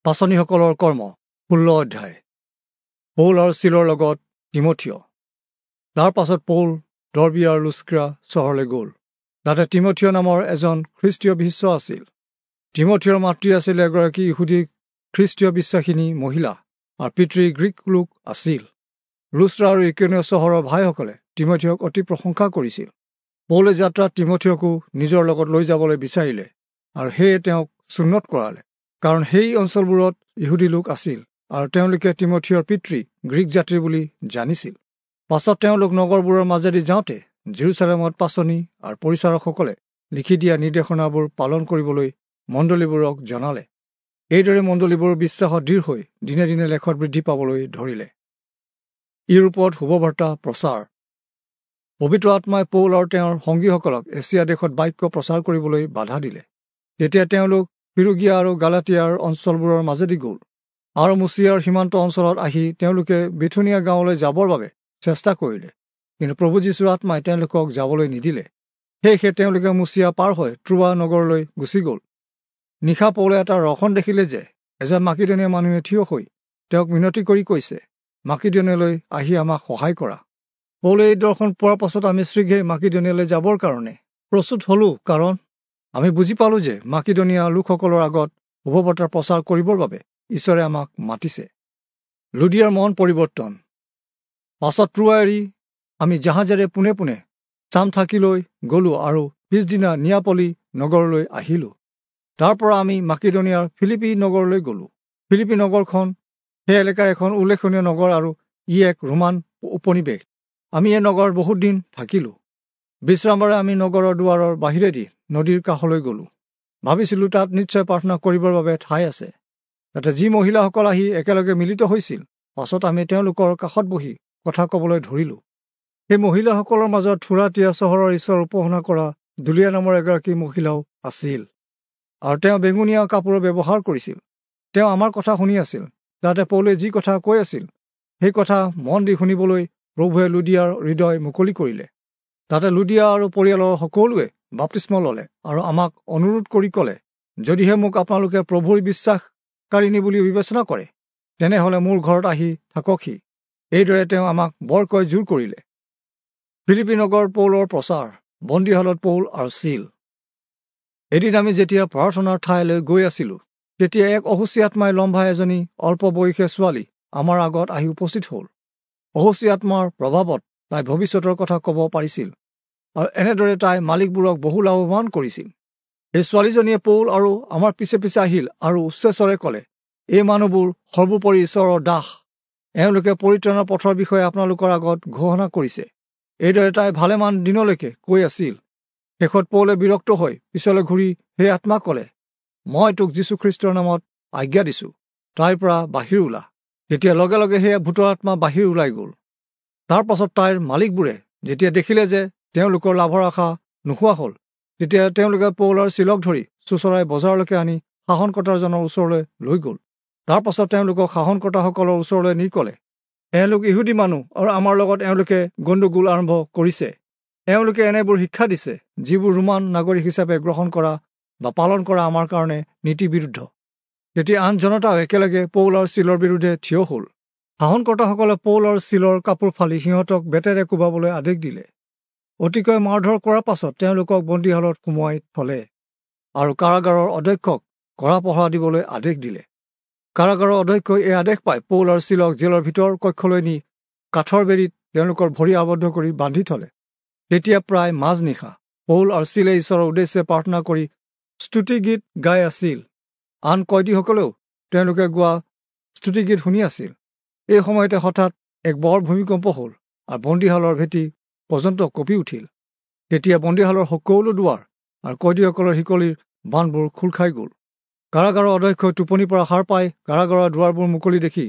পাঁচনিসকলৰ কৰ্ম 16 অধ্যায়। পৌল আৰু চিলৰ লগত তীমথিয়। তাৰ পাছত পৌল দৰ্বী আৰু লুস্ত্ৰা চহৰলৈ গ'ল। তাতে তীমথিয় নামৰ এজন খ্ৰীষ্টীয় শিষ্য আছিল। তীমথিয়ৰ মাতৃ আছিল এগৰাকী ইহুদী খ্ৰীষ্টীয় বিশ্বাসিনী মহিলা আৰু পিতৃ গ্ৰীক লোক আছিল। লুস্ত্ৰা আৰু ইকনিয় চহৰৰ ভাইসকলে তীমথিয়ক অতি প্ৰশংসা কৰিছিল। পৌলে যাত্ৰাত তীমথিয়কো নিজৰ লগত লৈ যাবলৈ বিচাৰিলে আৰু সেয়ে তেওঁক চুন্নত কৰালে, কাৰণ সেই অঞ্চলবোৰত ইহুদী লোক আছিল আৰু তেওঁলোকে তীমথিয়ৰ পিতৃ গ্ৰীক জাতিৰ বুলি জানিছিল। পাছত তেওঁলোক নগৰবোৰৰ মাজেদি যাওঁতে জেৰুচালেমত পাঁচনি আৰু পৰিচাৰকসকলে লিখি দিয়া নিৰ্দেশনাবোৰ পালন কৰিবলৈ মণ্ডলীবোৰক জনালে। এইদৰে মণ্ডলীবোৰ বিশ্বাসত দৃঢ় হৈ দিনে দিনে লেখত বৃদ্ধি পাবলৈ ধৰিলে। ইউৰোপত শুভবাৰ্তা প্ৰচাৰ। পবিত্ৰ আত্মাই পৌল আৰু তেওঁৰ সংগীসকলক এছিয়া দেশত বাক্য প্ৰচাৰ কৰিবলৈ বাধা দিলে। তেতিয়া তেওঁলোক ফিৰুগিয়া আৰু গালাটিয়াৰ অঞ্চলবোৰৰ মাজেদি গ'ল আৰু মুচিয়াৰ সীমান্ত অঞ্চলত আহি তেওঁলোকে বিথুনীয়া গাঁৱলৈ যাবৰ বাবে চেষ্টা কৰিলে, কিন্তু প্ৰভু যীশুৰ আত্মাই তেওঁলোকক যাবলৈ নিদিলে। সেয়েহে তেওঁলোকে মুচিয়া পাৰ হৈ ত্ৰোৱা নগৰলৈ গুচি গ'ল। নিশা পৌলে এটা দৰ্শন দেখিলে যে এজন মাকিদনীয়া মানুহে থিয় হৈ তেওঁক মিনতি কৰি কৈছে, মাকিদনীয়ালৈ আহি আমাক সহায় কৰা। পৌলে এই দৰ্শন পোৱাৰ পাছত আমি শীঘ্ৰেই মাকিদনীয়ালৈ যাবৰ কাৰণে প্ৰস্তুত হ'লোঁ, কাৰণ আমি বুজি পালোঁ যে মাকিদনীয়া লোকসকলৰ আগত শুভবাৰ্তা প্ৰচাৰ কৰিবৰ বাবে ঈশ্বৰে আমাক মাতিছে। লুদিয়াৰ মন পৰিৱৰ্তন। পাছত ত্ৰোৱা এৰি আমি জাহাজেৰে পোনে পোনে চামথাকিলৈ গ'লোঁ আৰু পিছদিনা নিয়াপলি নগৰলৈ আহিলোঁ। তাৰ পৰা আমি মাকিদনীয়াৰ ফিলিপি নগৰলৈ গ'লোঁ। ফিলিপি নগৰখন সেই এলেকাৰ এখন উল্লেখনীয় নগৰ আৰু ই এক ৰোমান উপনিৱেশ। আমি এই নগৰত বহুত দিন থাকিলোঁ। বিশ্ৰামবাৰে আমি নগৰৰ দুৱাৰৰ বাহিৰেদি নদীৰ কাষলৈ গ'লোঁ। ভাবিছিলোঁ তাত নিশ্চয় প্ৰাৰ্থনা কৰিবৰ বাবে ঠাই আছে। তাতে যি মহিলাসকল আহি একেলগে মিলিত হৈছিল, পাছত আমি তেওঁলোকৰ কাষত বহি কথা ক'বলৈ ধৰিলোঁ। সেই মহিলাসকলৰ মাজত থুৰাতিয়া চহৰৰ ঈশ্বৰ উপাসনা কৰা দুলীয়া নামৰ এগৰাকী মহিলাও আছিল আৰু তেওঁ বেঙুনীয়া কাপোৰৰ ব্যৱহাৰ কৰিছিল। তেওঁ আমাৰ কথা শুনি আছিল। তাতে পৌলে যি কথা কৈ আছিল সেই কথা মন দি শুনিবলৈ প্ৰভুৱে লুদিয়াৰ হৃদয় মুকলি কৰিলে। তাতে লুদিয়া আৰু পৰিয়ালৰ সকলোৱে বাপ্তিস্ম ল'লে আৰু আমাক অনুৰোধ কৰি ক'লে, যদিহে মোক আপোনালোকে প্ৰভুৰ বিশ্বাসকাৰিণী বুলি বিবেচনা কৰে, তেনেহ'লে মোৰ ঘৰত আহি থাককহি। এইদৰে তেওঁ আমাক বৰকৈ জোৰ কৰিলে। ফিলিপি নগৰ পৌলৰ প্ৰচাৰ। বন্দীশালত পৌল আৰু চিল। এদিন আমি যেতিয়া প্ৰাৰ্থনাৰ ঠাইলৈ গৈ আছিলোঁ, তেতিয়া এক অশুচি আত্মাই লম্ভা এজনী অল্প বয়সীয়া ছোৱালী আমাৰ আগত আহি উপস্থিত হ'ল। অশুচি আত্মাৰ প্ৰভাৱত তাই ভৱিষ্যতৰ কথা ক'ব পাৰিছিল আৰু এনেদৰে তাই মালিকবোৰক বহু লাভৱান কৰিছিল। এই ছোৱালীজনীয়ে পৌল আৰু আমাৰ পিছে পিছে আহিল আৰু উচ্চস্বৰে ক'লে, এই মানুহবোৰ সৰ্বোপৰি ঈশ্বৰৰ দাস। এওঁলোকে পৰিত্ৰাণৰ পথৰ বিষয়ে আপোনালোকৰ আগত ঘোষণা কৰিছে। এইদৰে তাই ভালেমান দিনলৈকে কৈ আছিল। শেষত পৌলে বিৰক্ত হৈ পিছলৈ ঘূৰি সেই আত্মাক ক'লে, মই তোক যীশুখ্ৰীষ্টৰ নামত আজ্ঞা দিছোঁ, তাইৰ পৰা বাহিৰ ওলা। তেতিয়া লগে লগে সেয়া ভূতৰ আত্মা বাহিৰ ওলাই গ'ল। তাৰ পাছত তাইৰ মালিকবোৰে যেতিয়া দেখিলে যে তেওঁলোকৰ লাভৰ আশা নোহোৱা হ'ল, তেতিয়া তেওঁলোকে পৌল আৰু চিলক ধৰি চোঁচৰাই বজাৰলৈকে আনি শাসনকৰ্তাজনৰ ওচৰলৈ লৈ গ'ল। তাৰ পাছত তেওঁলোকক শাসনকৰ্তাসকলৰ ওচৰলৈ নি ক'লে, এওঁলোক ইহুদী মানুহ আৰু আমাৰ লগত এওঁলোকে গণ্ডগোল আৰম্ভ কৰিছে। এওঁলোকে এনেবোৰ শিক্ষা দিছে যিবোৰ ৰোমান নাগৰিক হিচাপে গ্ৰহণ কৰা বা পালন কৰা আমাৰ কাৰণে নীতি বিৰুদ্ধ। তেতিয়া আন জনতাও একেলগে পৌল আৰু চিলৰ বিৰুদ্ধে থিয় হ'ল। শাসনকৰ্তাসকলে পৌল আৰু চিলৰ কাপোৰ ফালি সিহঁতক বেতেৰে কোবাবলৈ আদেশ দিলে। অতিকৈ মাৰধৰ কৰাৰ পাছত তেওঁলোকক বন্দীশালত সোমোৱাই থলে আৰু কাৰাগাৰৰ অধ্যক্ষক কড়া পহৰা দিবলৈ আদেশ দিলে। কাৰাগাৰৰ অধ্যক্ষই এই আদেশ পাই পৌল আৰু চিলক জেলৰ ভিতৰ কক্ষলৈ নি কাঠৰ বেৰীত তেওঁলোকৰ ভৰি আবদ্ধ কৰি বান্ধি থলে। তেতিয়া প্ৰায় মাজনিশা পৌল আৰু চিলে ঈশ্বৰৰ উদ্দেশ্যে প্ৰাৰ্থনা কৰি স্তুতিগীত গাই আছিল। আন কয়দীসকলেও তেওঁলোকে গোৱা স্তুতিগীত শুনি আছিল। এই সময়তে হঠাৎ এক বৰ ভূমিকম্প হ'ল আৰু বন্দীশালৰ ভেটি পৰ্যন্ত কঁপি উঠিল। তেতিয়া বন্দীশালৰ সকলো দুৱাৰ আৰু কয়দীসকলৰ শিকলিৰ বান্ধবোৰ খোল খাই গ'ল। কাৰাগাৰৰ অধ্যক্ষই টোপনিৰ পৰা সাৰ পাই কাৰাগাৰৰ দুৱাৰবোৰ মুকলি দেখি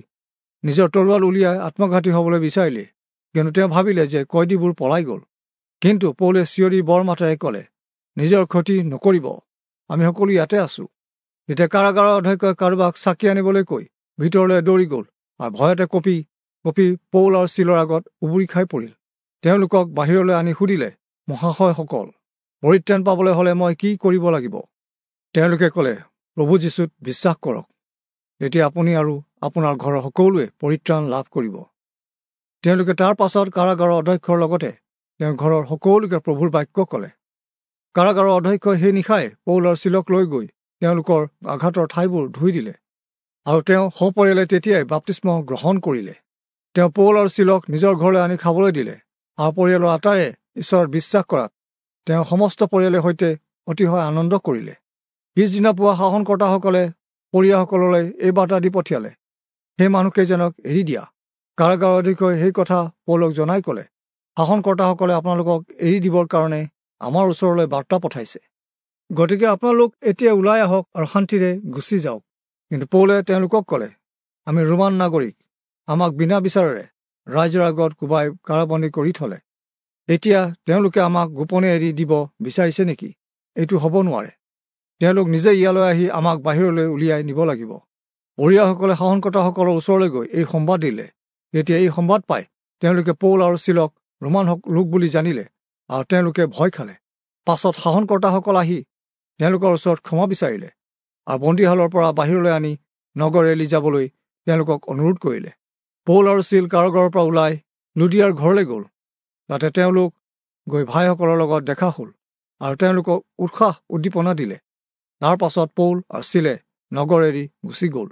নিজৰ তৰোৱাল উলিয়াই আত্মঘাতী হ'বলৈ বিচাৰিলে, কিন্তু তেওঁ ভাবিলে যে কয়দীবোৰ পলাই গ'ল। কিন্তু পৌলে চিঞৰি বৰ মাতেৰে ক'লে, নিজৰ ক্ষতি নকৰিব, আমি সকলো ইয়াতে আছোঁ। তেতিয়া কাৰাগাৰৰ অধ্যক্ষই কাৰোবাক চাকি আনিবলৈ কৈ ভিতৰলৈ দৌৰি গ'ল আৰু ভয়তে কঁপি কঁপি পৌল আৰু চিলৰ আগত উবুৰি খাই পৰিল। তেওঁলোকক বাহিৰলৈ আনি সুধিলে, মহাশয়সকল, পৰিত্ৰাণ পাবলৈ হ'লে মই কি কৰিব লাগিব? তেওঁলোকে ক'লে, প্ৰভু যীশুত বিশ্বাস কৰক, তেতিয়া আপুনি আৰু আপোনাৰ ঘৰৰ সকলোৱে পৰিত্ৰাণ লাভ কৰিব। তেওঁলোকে তাৰ পাছত কাৰাগাৰৰ অধ্যক্ষৰ লগতে তেওঁৰ ঘৰৰ সকলোকে প্ৰভুৰ বাক্য ক'লে। কাৰাগাৰৰ অধ্যক্ষই সেই নিশাই পৌল আৰু চিলক লৈ গৈ তেওঁলোকৰ আঘাতৰ ঠাইবোৰ ধুই দিলে আৰু তেওঁ সপৰিয়ালে তেতিয়াই বাপ্তিস্ম গ্ৰহণ কৰিলে। তেওঁ পৌল আৰু চিলক নিজৰ ঘৰলৈ আনি খাবলৈ দিলে আৰু পৰিয়ালৰ আটায়ে ঈশ্বৰত বিশ্বাস কৰাত তেওঁ সমস্ত পৰিয়ালৰ সৈতে অতিশয় আনন্দ কৰিলে। পিছদিনা পুৱা শাসনকৰ্তাসকলে পৰিয়াসকললৈ এই বাৰ্তা দি পঠিয়ালে, সেই মানুহকেইজনক এৰি দিয়া। কাৰাগাৰৰ অধ্যক্ষই সেই কথা পৌলক জনাই ক'লে, শাসনকৰ্তাসকলে আপোনালোকক এৰি দিবৰ কাৰণে আমাৰ ওচৰলৈ বাৰ্তা পঠাইছে, গতিকে আপোনালোক এতিয়া ওলাই আহক আৰু শান্তিৰে গুচি যাওক। কিন্তু পৌলে তেওঁলোকক ক'লে, আমি ৰোমান নাগৰিক, আমাক বিনা বিচাৰেৰে ৰাইজৰ আগত কোবাই কাৰাবন্দী কৰি থলে। এতিয়া তেওঁলোকে আমাক গোপনে এৰি দিব বিচাৰিছে নেকি? এইটো হ'ব নোৱাৰে। তেওঁলোক নিজে ইয়ালৈ আহি আমাক বাহিৰলৈ উলিয়াই নিব লাগিব। পৰিয়াসকলে শাসনকৰ্তাসকলৰ ওচৰলৈ গৈ এই সম্বাদ দিলে। তেতিয়া এই সম্বাদ পাই তেওঁলোকে পৌল আৰু চিলক ৰোমান লোক বুলি জানিলে আৰু তেওঁলোকে ভয় খালে। পাছত শাসনকৰ্তাসকল আহি তেওঁলোকৰ ওচৰত ক্ষমা বিচাৰিলে আৰু বন্দীশালৰ পৰা বাহিৰলৈ আনি নগৰ এৰি যাবলৈ তেওঁলোকক অনুৰোধ কৰিলে। পৌল আৰু চিল কাৰাগাৰৰ পৰা ওলাই লুদিয়াৰ ঘৰলৈ গ'ল। তাতে তেওঁলোক গৈ ভাইসকলৰ লগত দেখা হ'ল আৰু তেওঁলোকক উৎসাহ উদ্দীপনা দিলে। তাৰ পাছত পৌল আৰু চিলে নগৰ এৰি গুচি গ'ল।